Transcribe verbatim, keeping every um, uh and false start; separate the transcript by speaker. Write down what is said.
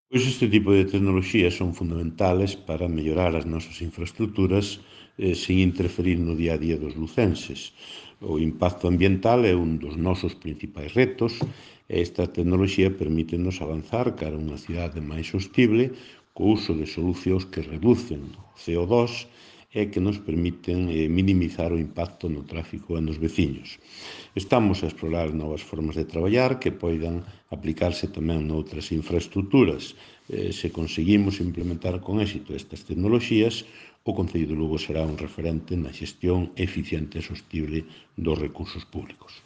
Speaker 1: Pois este tipo de tecnoloxías son fundamentales para mellorar as nosas infraestruturas eh, sen interferir no día a día dos lucenses. O impacto ambiental é un dos nosos principais retos e esta tecnoloxía permítenos avanzar cara a unha cidade máis sostible co uso de solucións que reducen o C O dos e que nos permiten eh, minimizar o impacto no tráfico e nos veciños. Estamos a explorar novas formas de traballar que poidan aplicarse tamén noutras infraestruturas. Eh, se conseguimos implementar con éxito estas tecnoloxías, o Concello de Lugo será un referente na xestión eficiente e sostible dos recursos públicos.